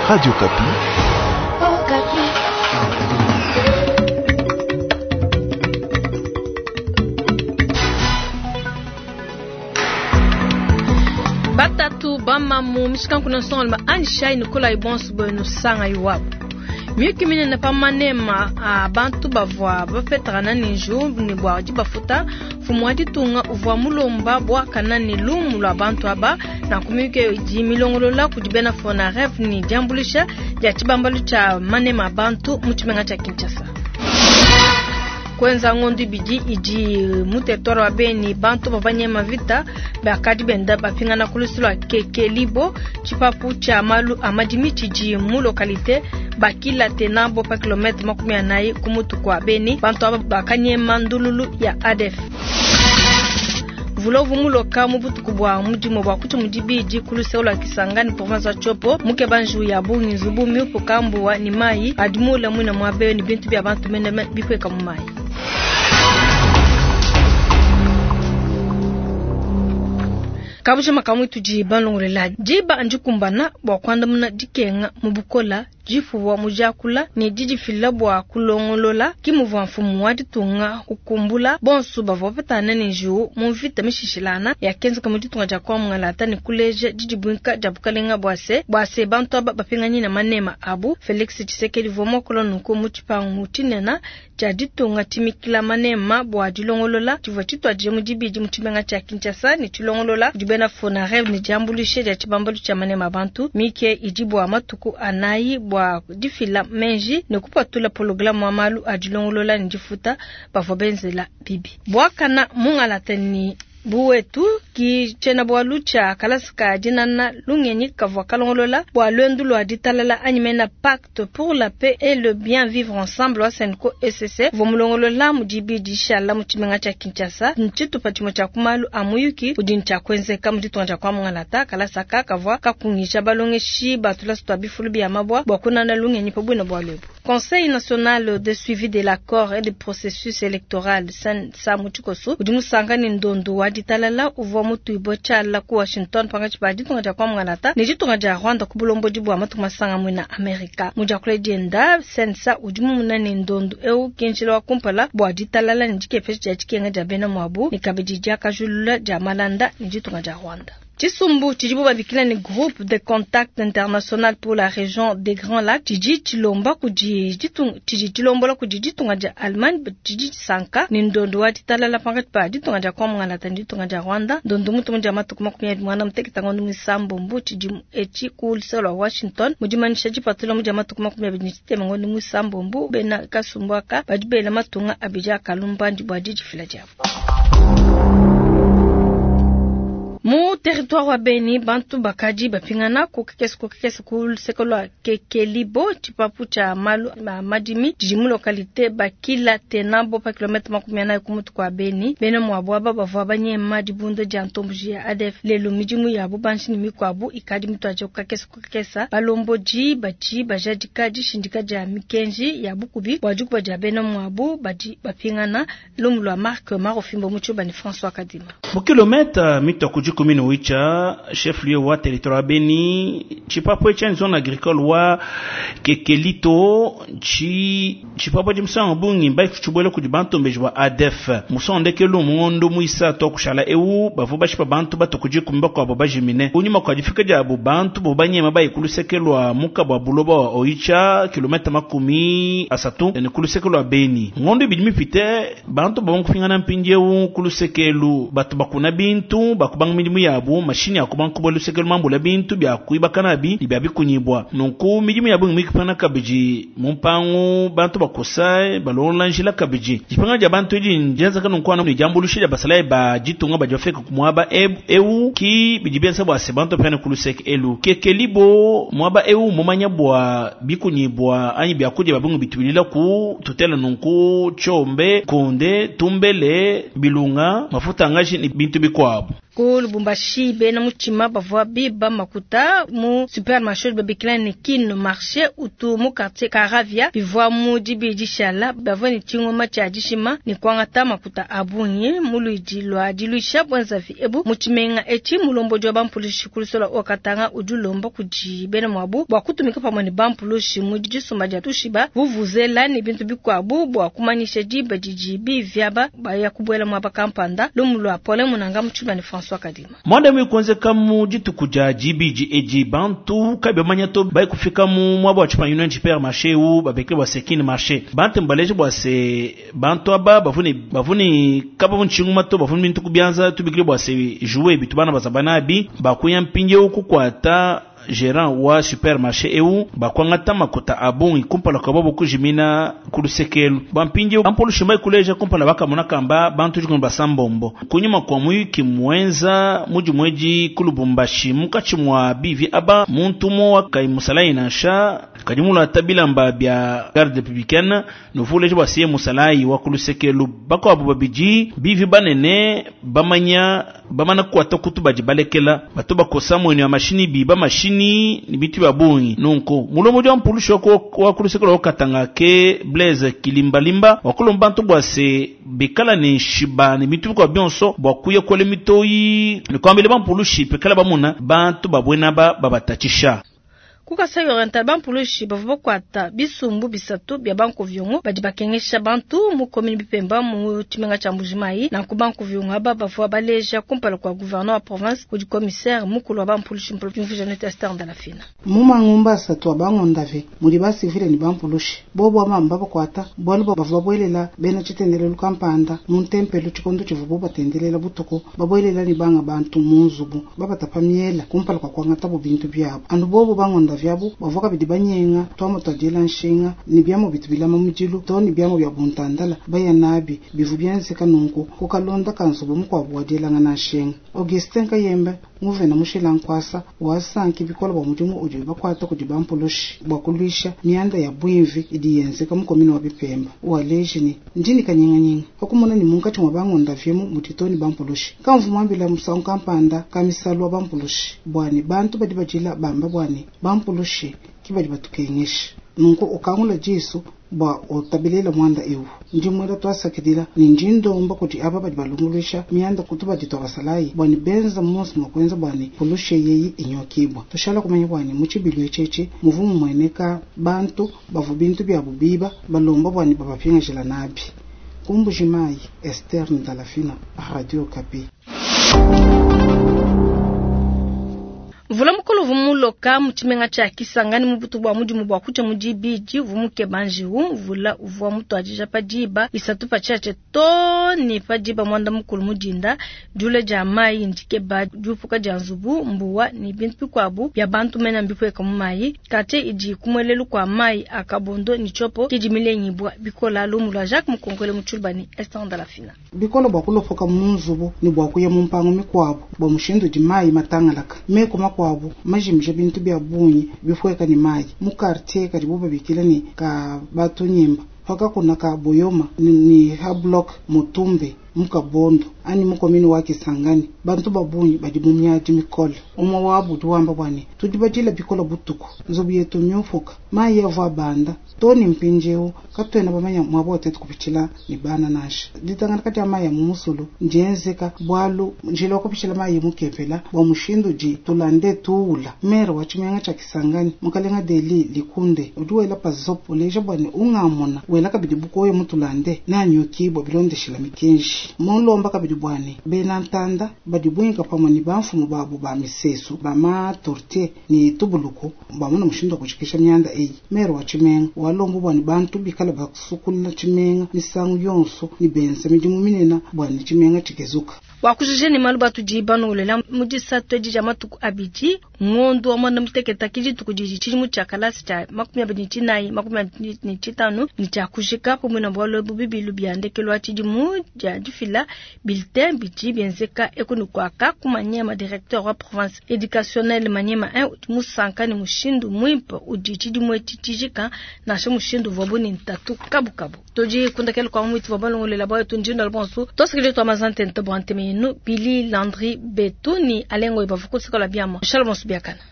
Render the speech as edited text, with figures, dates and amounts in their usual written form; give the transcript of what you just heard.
Radio Okapi. Batatu bamamu mishikanku na nsongalume anjishayi ne kolayi bonso buenu sangayi wabu. Miyuki minene pa manema a bantu bavua bapetakana ne njiwu ne bua dibafuta, mfumu wa ditunga uvua mulomba buakana ne lumu lua bantu aba. Nanku miyuki eyo idi milongolola kudi bena Fonarev ne diambuluisha dia tshibambalu tshia manema a bantu mu tshimenga tshia Kinshasa. Kuenza ngondo ibidi idi mu territoire wa Beni, bantu bavua banyema mvita bakadi benda bapingana ku lusu lua Kekelibo, tshipapu tshia malu a madimi tshidi mu localite Bakila Tenabo pa kilometre 40 ku mutu kua Beni. Bantu aba bakanyema ndululu ya ADF. Mvula uvua muloka mu butuku bua mudimu bua kutshi mu dibidi ku luseke lua Kisangani, province wa Tshopo, mukeba njiwu ya bungi, nzubu miupuka mbuwa ne mayi adi muule muine muaba eu ne bintu bia bantu meneme bipueka mu mayi. Kabujima kamue tudi balongolola diba ndikumbana bua kuandamuna dikenga mu bukola, dipuwa mu diakula ne didifila bua kulongolola, ke muvua mfumu wa ditunga ukumbula bonso bavua bapetangana ne njiwu mu mvita mishishilangana yakenzeka mu ditunga dia Kwa-Mungalata ne kuleja didibuinka dia bukalenga bua se bua se bantu aba bapinganyine manema abu. Felix Tshisekedi uvua muakula nunku mu tshipangu tshinene tshia ditunga tshimikila manema bua dilongolola tshivua tshituadije mu dibidi mu tshimenga tshia Kinshasa ne tshilongolola kudi bena Fonarev ne diambuluisha dia tshibambalu tshia manema a bantu. Mike idi bua matuku anayi bua difila menji ne kupatula pologalame wa malu a dilongolola ne difuta bavua benzela bibi. Buakana mungalata ne buwetu ki tshiena-bualu tshia kalasa ka dinana lungenyi kavua kalongolola bua luendu lua ditalala anyi mena Pacte pour la paix et le bien vivre ensemble wa CENCO ECC uvua mulongolola mu dibidi dishala mu tshimenga tshia Kinshasa. Ntshitupa tshimue tshia ku malu a muyuki udi ne tshia kuenzeka mu ditunga dia kwa mungalata. Kalasa aka kavua kakungija balongeshi ba tulasa tua bifulu bia mabua bua kunana lungenyi pa buina bualu ebu. Conseil national de suivi de l'accord et du processus electoral, CNSA mu tshikoso, udi musanka ne ndondu wa ditalala uvua mutuibue tshiala ku Washington pankatshi pa ditunga dia kwa mungalata ne ditunga dia Rwanda ku bulombodi bua matuku masanga muena Amerika. Mu diakula dienda, CNSA udi mumuna ne ndondu eu ke njila wa kumpala bua ditalala ne dikepesha dia dikenga dia bena muabu ne kabidi diakajulula dia malanda ne ditunga dia Rwanda. Tshisumbu tshidibu babikila ne Groupe de Contact International pour la Region des Grands Lacs tshidi tshilomba kudi tshidi tshilombola kudi ditunga dia Allemagne tshidi tshisanka ne ndondo wa ditalala pankatshi pa ditunga dia Kwa Mungalata ne ditunga dia Rwanda. Ndondo mutumu dia matuku 29 ngondo muisambombo tshidimu etshi ku luseke lua Washington. Mu dimanyisha dipatula mu dia matuku 23 ngondo muisambombo, bena kasumbu aka badi bela matunga abidi a kalumbandi bua didifila diabu. Mu territoire wa Beni, bantu bakadi bapingana ku kakese ku kakese ku luseke lua Kekelibo, tshipapu tshia malu a madimi tshidi mu localite Bakila Tenabo pa kilometre 40 ku mutu kua Beni. Bena muabu aba bavua banyema dibunda dia ntomboji ya ADF. Lelu midimu ya bubanji ne mikuabu ikadi mituadije ku kakese ku kakese. Balombodi badi bajadika dishindika dia mikenji ya bukubi bua dikuba dia bena muabu badi bapingana. Lumu lua Marc Marofimbo mu Tshiluba ne François Kadima. Mu kilometa mitua ku dikumi ne wicha, chef-lieu wa territoire wa Beni, tshipapu etshi zone agricole wa Kekelito, tshi tshipapu etshi musangu bungi mbatshibuela kudi bantombeji ba ADF. Musangu ndekelu mu ngondo muisatu wa kushala eu bavua bashipa bantu batua ku dikumi bakuabu bajimine. Kunyima kua difika diabu bantu bavua banyema baye ku luseke lua muka bua buloba wa Oicha, kilometa 30 ne ku luseke lua Beni. Ngondo ibidi mipite, bantu bavua kupingana mpindieu ku luseke elu, batu bakuna bintu, bakubanga midimu yabu, mashinyi akubanga kubuela luseke mambula bintu bia kuibaka nabi ne bia bikunyibua. Nunku midimu yabu mikipana kabidi mu mpangu, bantu bakosa balongola njila kabidi. Dipingana dia bantu edi ndienzeka nunku anu ne diambuluisha dia basalayi ba ditunga badi bafika ku muaba eu ki bidi bienza bua se bantu bapingane ku luseke elu. Kekelibo muaba eu mumanya bua bikunyibua anyi biakudia bia bungi bitubilila ku tutela nunku tshiombe, kunde, tumbele, bilunga, mafuta angaji ne bintu bikuabu. Ku Lubumbashi, bena mutshima bavua biba makuta mu supermarché udi babikila ne Kin Marché utu mu quartier Karavia. Bivua mu dibidi dishala, bavua ne tshingoma tshia dishima ne kuangata makuta a bungi mu luidi lua diluisha buenzavi ebu mu tshimenga etshi. Mulombodi wa bampulushi ku luseke lua Haut-Katanga udi ulomba kudi bena muabu bua kutumika pamue ne bampulushi mu disumba dia tushiba, vuvuzela ne bintu bikuabu bua kumanyisha diba didi bivi aba baya kubuela muaba kampanda. Lumu lua Paulin Munanga mu tshiluba ne François Kadima. Mwanda mui kuenzeka mu dituku dia dibidi edi, bantu kabi bamanya to bayi kufika mu muaba wa tshipangu supermarché eu babikile bua se Kin Marché. Bantu mbaleje bua se bantu aba bavua ne kabavu ntshinguma to bavua ne bintu ku bianza tubikile bua se jouet bitu bana bazaba nabi bakuya mpindieu kukuata gérant wa supermarché eu bakwangata makuta a bungi kumpala kwa bobo kujimina ku lusekelu. Bampindieu bampulushi mbai kuleja kumpala bakamona kamba bantu dikunu basambombo kunyima kwa muyuki muenza mudi ku Lubumbashi munkatshi mua bivi aba muntu umue kai musalayi nansha kadi mulata bilamba bia garde républicaine nuvuleje bua siye musalayi wa ku lusekelu. Bakuabu babidi bivi banene bamanya bamana kukwata kutu badi balekela bato bakosa mwene ya mashini biba mashini ni bitu bya bungi. Nunku mulombodi wa mpulushi wa ku luseke lwa Katanga ke Blaise Kilimbalimba wakulomba bantu bua se bikala ne nshiba ne bintu bikua bionso bua kuya kuela mitoyi ne kuambila bampulushi pikala bamuna bantu babwena ba babatatshisha. Ku Kasai Oriental, bampulushi bavua bakuata bisumbu bisatu bia bankovyongo badi bakengesha bantu mu commune Bipemba mu tshimenga tshia Mbujimayi. Nanku bankovyongo aba bavua baleja kumpala kua gouverneur wa province kudi commissaire mukulu wa bampulushi Mpulushi Esther Ndalafina. Mu mangumba asatu a bangondave mudi basivile ne bampulushi bobo amamba bakuata bualu bavua babuelela bena tshitendelelu kampanda mu ntempelo tshikondo tshivuabu batendelela butuku babuelela ne banga bantu mu nzubu babatapa miela kumpala kua kuangatabu bintu biabu. Anu bobo bangondave abu bavua kabidi banyenga twamo twadiela nshinga ne biamu bitu bilama mudilu to ne biamu bia buntandala baya nabi bivu bienzeka nunku kukalonda kanzubu mukuabu wadielangana nshinga. Augustin Kayembe nguvena mushila nkwasa wasanki bikola bwa mudimu udi bakwata kudi bampulushi bwa kulwisha mianda ya bwimvi idi yenzeka mu komini wa Bipemba. Waleji ni ndini kanyinganyinga pakumona ni munkatshi mwa bangonda vyemu mutitoni bampulushi kamvu mwambila musangu kampanda kamisalu wa bampulushi bwani bantu badi bajila bamba bwani bampulushi kibadi batukengesha nunku ukangula jisu bwa utabilila mwanda iwu ndi mwela twasakidila ni ndi ndomba kuti aba badi balunguluisha mianda kutu badi twabasalayi bwani benza monso mwa bwani pulushe yeyi inyokibwa. Tushala kumanya bwani mu tshibilu etshetshi muvu mumueneka bantu bavu bintu byabu biba balomba bwani babapingajila nabi. Ku Mbujimayi, Esther Ndalafina, Radio Okapi. Mvula mukulu uvua muloka mu tshimenga tshia Kisangani mu butu bua mudimu bua kutshia mu dibidi uvua mukeba njiwu. Mvula uvua mutuadija pa diba 3 pa tshiatshia to ne pa diba mwanda mukulu mu dinda. Diula dia mayi ndikeba diupuka dia nzubu, mbuwa ne bintu bikuabu bia bantu mena mbipueka mu mayi. Quartier idi kumuelelu kua mayi a Kabondo ne Tshopo kidi milengibua bikola. Lumu lua Jacques Mukonkole mu Tshiluba ne Esther Ndalafina. Bikola bua kulopoka mu nzubu ne bua kuya mu mpangu mikuabu bua mushindu di mayi matangalaka. Meko makuabu majimija bintu bia bungi bipueka ne mayi mu quartier kadibu babikila ne ka batunyimba pakakuna ka Boyoma ni ha block Mutumbe mu Kabondo ani mu komini wa Kisangani bantu babungi badi mu miadi mikole. Umwe wabu udi wamba bwani tudi badila bikola butuku nzubu yetu myufuka mayi avua banda toni mpindieu katuena bamanya mwabo tetu kupitshila ne bana nansha. Ditangana kati ya mayi ya mu musulu ndienzeka bwalu njila wa kupitshila mayi mukepela bwa mushindu di tulande tuula. Mere wa tshimenga tshia Kisangani mukalenga Deli Likunde udi wela pa zopo uleja bwani ungamona wela kabidi bukoyo mutulande nanyukibwa bilondeshela mikenji. Mulomba kabidi bwani bena ntanda badi bwinka pamwe ni bamfumu babu ba misesu ba ma tortier ni tubuluku bamuna mushindu wa kushikisha mianda eyi. Mere wa tshimenga walomba bwani bantu bikala basukula tshimenga misangu yonso ni benza midimu minena bwani tshimenga tshikezuka. Wakujije ni malu batudi banolela mu disatu edi dia matuku abidi ngondo wa mwanda muteketa kidituku didi tshidimu tshia kalasi tshia 24 25 ni tshia kujika pamwe na bwalo ebu bibilu bia ndekelu wa tshidimu dia difila bulletin bidi bienzeka ekunu kwaka ku Maniema directeur wa province éducationnelle Maniema 1 udi musanka ni mushindu mwimpe udi tshidimu etshi tshijika nansha mushindu uvua ni ntatu kabukabu. Tudi kundakela kwa mwitu wa balongolela bwa yetu ndinda bonso tosikile twa mazante ntebo anteme. nenu Billy Landry Betu ni Alengo Ibavuku sikola biama. Shalom biakana.